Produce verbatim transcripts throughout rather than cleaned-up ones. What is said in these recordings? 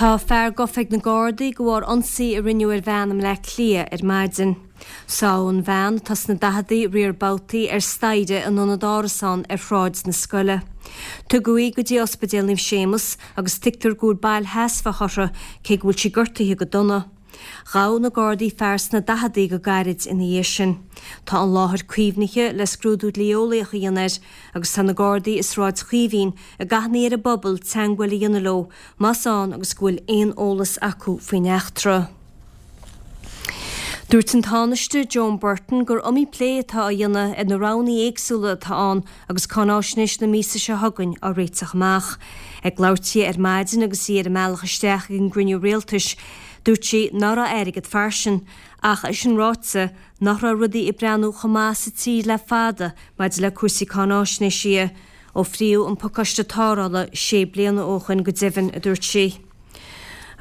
Tá fear gafa ag na Gardaí de bharr ionsaí a rinneadh ar bhean i mBleá Cliath ar maidin. Sádh an bhean atá sna daicheadaí riar babhtaí ar staighre in ionad árasán ar Shráid na Scoile. Tugadh í go dtí Ospidéal Naomh Séamus agus tuigtear go bhfuil bail sheasmhach uirthi cé go bhfuil sí gortaithe go dona. Ghabh na Gardaí fear sna daicheadaí go gairid ina dhiaidh sin. Tá an láthair caomhnaithe le scrúdú dlí-eolaíoch a dhéanamh air agus tá na Gardaí i Sráid Chaoimhín ag achainí ar an bpobal teagmháil a dhéanamh leo más ann agus go bhfuil aon eolas acu faoin eachtra. Dúirt an Tánaiste Joan Burton gur iomaí plé atá á dhéanamh ar na roghanna éagsúla atá ann agus cáináisnéis na míosa seo chugainn á réiteach amach. Ag labhairt di ar maidin agus í ar a mbealach isteach ag an gcruinniú rialtais, dúirt sí nach raibh airgead fairsing, ach é sin ráite nach raibh rudaí ag breathnú chomh maith sa tír le fada maidir le cúrsaí cáináisnéise ó fríodh an pacáiste tarrthála sé bliana ó shin go deimhin a dúirt sí.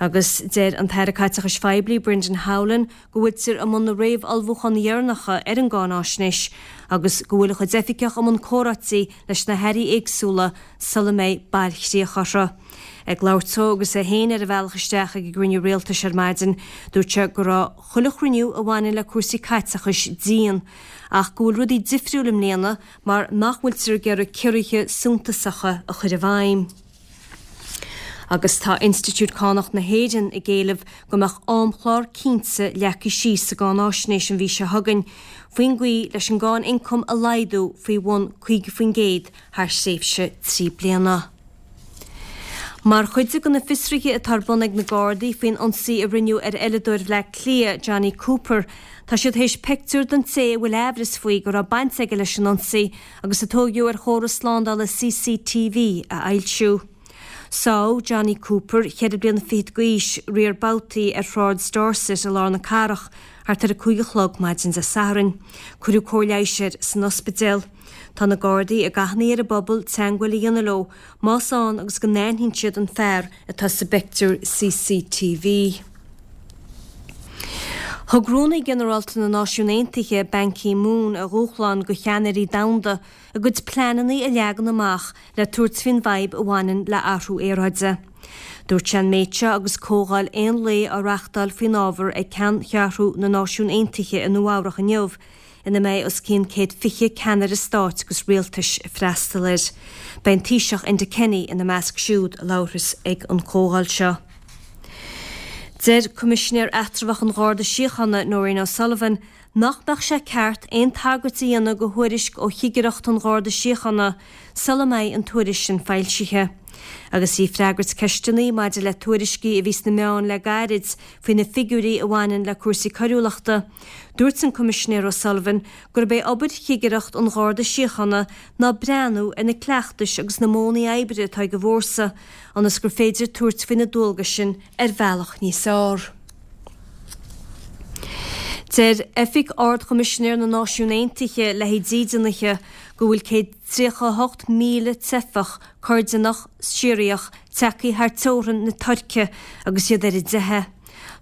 Agus deir an tAire Caiteachais Phoiblí Brendan Howlin go bhfuiltear i mbun na réamhullmhúcháin dheireanacha ar an gcáináisnéis agus go bhfuil a chuid oifigeach i mbun comhráití leis na hairí éagsúla sula mbeidh bailchríoch orthu. Ag labhairt dó agus é féin ar a bhealach isteach ag an gcruinniú rialtais ar maidin, dúirt sé go raibh chuile chruinniú a bhaineann le cúrsaí caiteachais dian, ach go bhfuil rudaí difriúil i mbliana mar nach bhfuiltear ag iarraidh ciorruithe suntasacha a chur i bhfeidhm. Agus tá Institiúid Cánach na hÉireann ag éileamh go mbeadh amchlár cinnte leagtha síos sa gcáináisnéis an mhí seo chugainn, faoin gcaoi leis an gcáin ioncaim a laghdú faoi bhun caoga faoin gcéad thar thréimhse trí bliana. Mar chuid de na fiosruithe atá ar bun ag na Gardaí faoin ionsaí a rinneadh ar eileadóir Bhleá Cliath, Johnny Cooper, tá siad théis pictiúr den té a bhfuil amhras faoi go raibh baint aige leis an ionsaí agus a tógadh ar chóras slándála CCTV a fhoilsiú. Sádh Johnny Cooper, ceithre bliana fichead d'aois, riar babhtaí ar Shráid Dorset i lár na cathrach thart ar a cúig a chlog maidin Dé Sathairn. Cuireadh cóir leighis air san ospidéal. Tá na Gardaí ag achainí ar an bpobal teagmháil a dhéanamh leo más ann agus go n-aithníonn siad an fear atá sa bpictiúr CCTV. Thug Rúnaí Ginearálta na Náisiún Aontaithe Ban Ki-moon a dhúshlán do cheannairí domhanda a gcuid pleananna a leagan amach le tabhairt faoin bhfadhb a bhaineann le athrú aeráide. Dúirt sé an méid seo agus comhdháil aon lae á reáchtáil faoin ábhar ag ceanncheathrú na Náisiún Aontaithe i Nua Eabhrac inniu, ina mbeidh os cionn céad fiche ceannaire stáit agus rialtais ag freastal air. Beidh an Taoiseach Enda Kenny ina measc siúd a labharfas ag an chomhdháil seo. Deir Coimisinéir Eatramhach an Gharda Síochána Nóirín O'Sullivan nach mbeadh sé ceart aon tagairt a dhéanamh do thuairisc ó Chigireacht an Gharda Síochána sula mbeidh an tuairisc sin foilsithe. Agus í ag freagairt ceisteanna maidir le tuairiscí a bhí sna meáin le gairid faoi na figiúirí a bhaineann le cúrsaí coiriúlachta, dúirt an Coimisinéir O'Sullivan gurb é obair Chigireacht an Gharda Síochána ná breathnú ar na cleachtais agus na modhanna oibre atá ag an bhfórsa, ionas gur féidir tabhairt faoi na dualgais sin ar bhealach níos fearr. Deir Oifig Ard-Choimisinéir na Náisiún Aontaithe le haghaidh dídeanaithe go bhfuil céad tríocha a hocht míle teifeach Coirdineach Siriach tagtha thar teorainn na Tuirce agus iad ar a dteitheadh.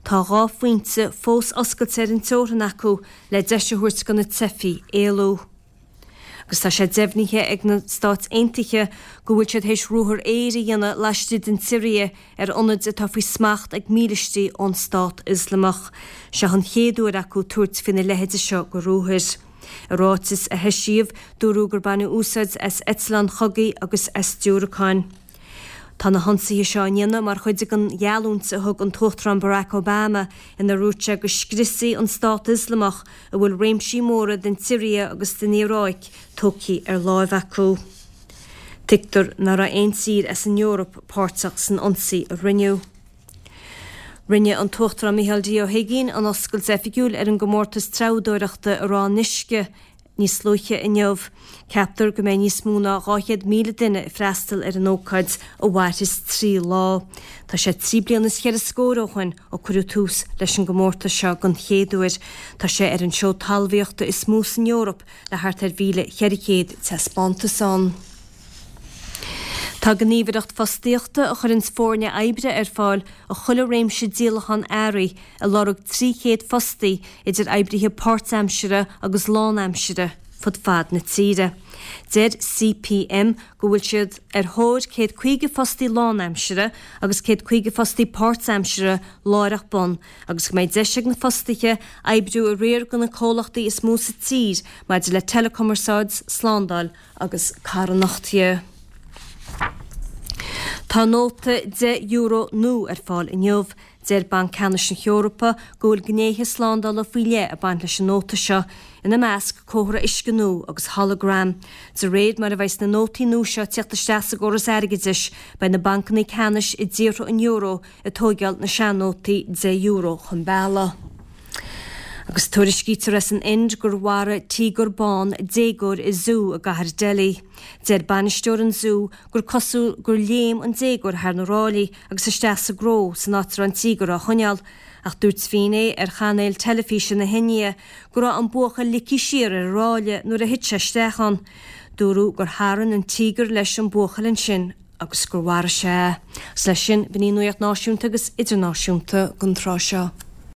Tá dhá phointe fós oscailte ar an teorainn acu le deis a thabhairt do na teifigh éalú. Agus tá sé deimhnithe ag na Stáit Aontaithe go bhfuil siad théis ruathar aeir a dhéanamh laistigh den tSiria ar ionaid atá faoi smacht ag mílístí ón Stát Ioslamach. Seo an chéad uair acu tabhairt faoina leithéide seo de ruathar. I ráiteas a heisíodh, dúradh gur baineadh úsáid as eitleáin chogaidh agus as diúracáin. Tá na hionsaithe seo á ndéanamh mar chuid den gheallúint a thug an tUachtarán Barack Obama inar dhúirt sé go scriosfaí an Stát Ioslamach a bhfuil réimsí móra den tSiria agus den Iaráic tógtha ar láimh acu. Tuigtear nach raibh aon tír as an Eoraip páirteach san ionsaí a rinneadh. Rinne an tUachtarán Micheál D. Ó hUigínn an oscailt oifigiúil ar an gcomórtas treabhdóireachta i Ráth an Uisce níos luaithe inniu. Ceaptar go mbeidh níos mó ná dhá chéad míle duine ag freastal ar an ócáid a mhairfeas trí lá. Tá sé trí bliana is cheithre scór ó shin ó cuireadh tús leis an gcomórtas seo den chéad uair. Tá sé ar an seó talmhaíochta is mó san Eoraip le thart ar mhíle cheithre chéad taispeántas ann. Tá gníomhaireacht fostaíochta a chuireann foirne oibre ar fáil do chuile réimse díolachán earraí ag lorg trí chéad fostaí idir oibrithe páirtaimseartha agus lánaimseartha fud fad na tíre. Deir C P M go bhfuil siad ar thóir céad caoga fostaí lánaimseartha agus céad caoga fostaí páirtaimseartha láithreach bonn, agus go mbeidh deis ag na fostaithe oibriú i riar de na comhlachtaí is mó sa tír maidir le teileachumarsáid, slándáil agus carthanacht. Tá nóta deich euro nua ar fáil inniu. Deir Banc Ceannais na hEorpa go bhfuil gnéithe slándála faoi leith ag baint leis an nóta seo, ina measc comhartha uisce nua agus hologram. De réir mar a bheidh na nótaí nua seo ag teacht isteach sa gcóras airgeadais, beidh na bancanna ceannais i dtíortha an euro ag tógáil na sean-nótaí deich euro chun bealaigh. Agus tuairiscítear as an Ind gur mharaigh tíogar bán déagóir i zú i gcathair Delhi. Deir bainisteoir an zú gur cosúil gur léim an déagóir thar na ráillí agus isteach sa gcró san áit a raibh an tíogar á choinneáil, ach dúirt finné ar chainéal teilifíse na hIndia go raibh an buachaill ligthe siar ar an ráille nuair a thit sé isteach ann. Dúradh gur tharraing an tíogar leis an buachaill ansin agus gur mharaigh sé. Is leis sin b'in í nuacht náisiúnta agus idirnáisiúnta don tráth seo.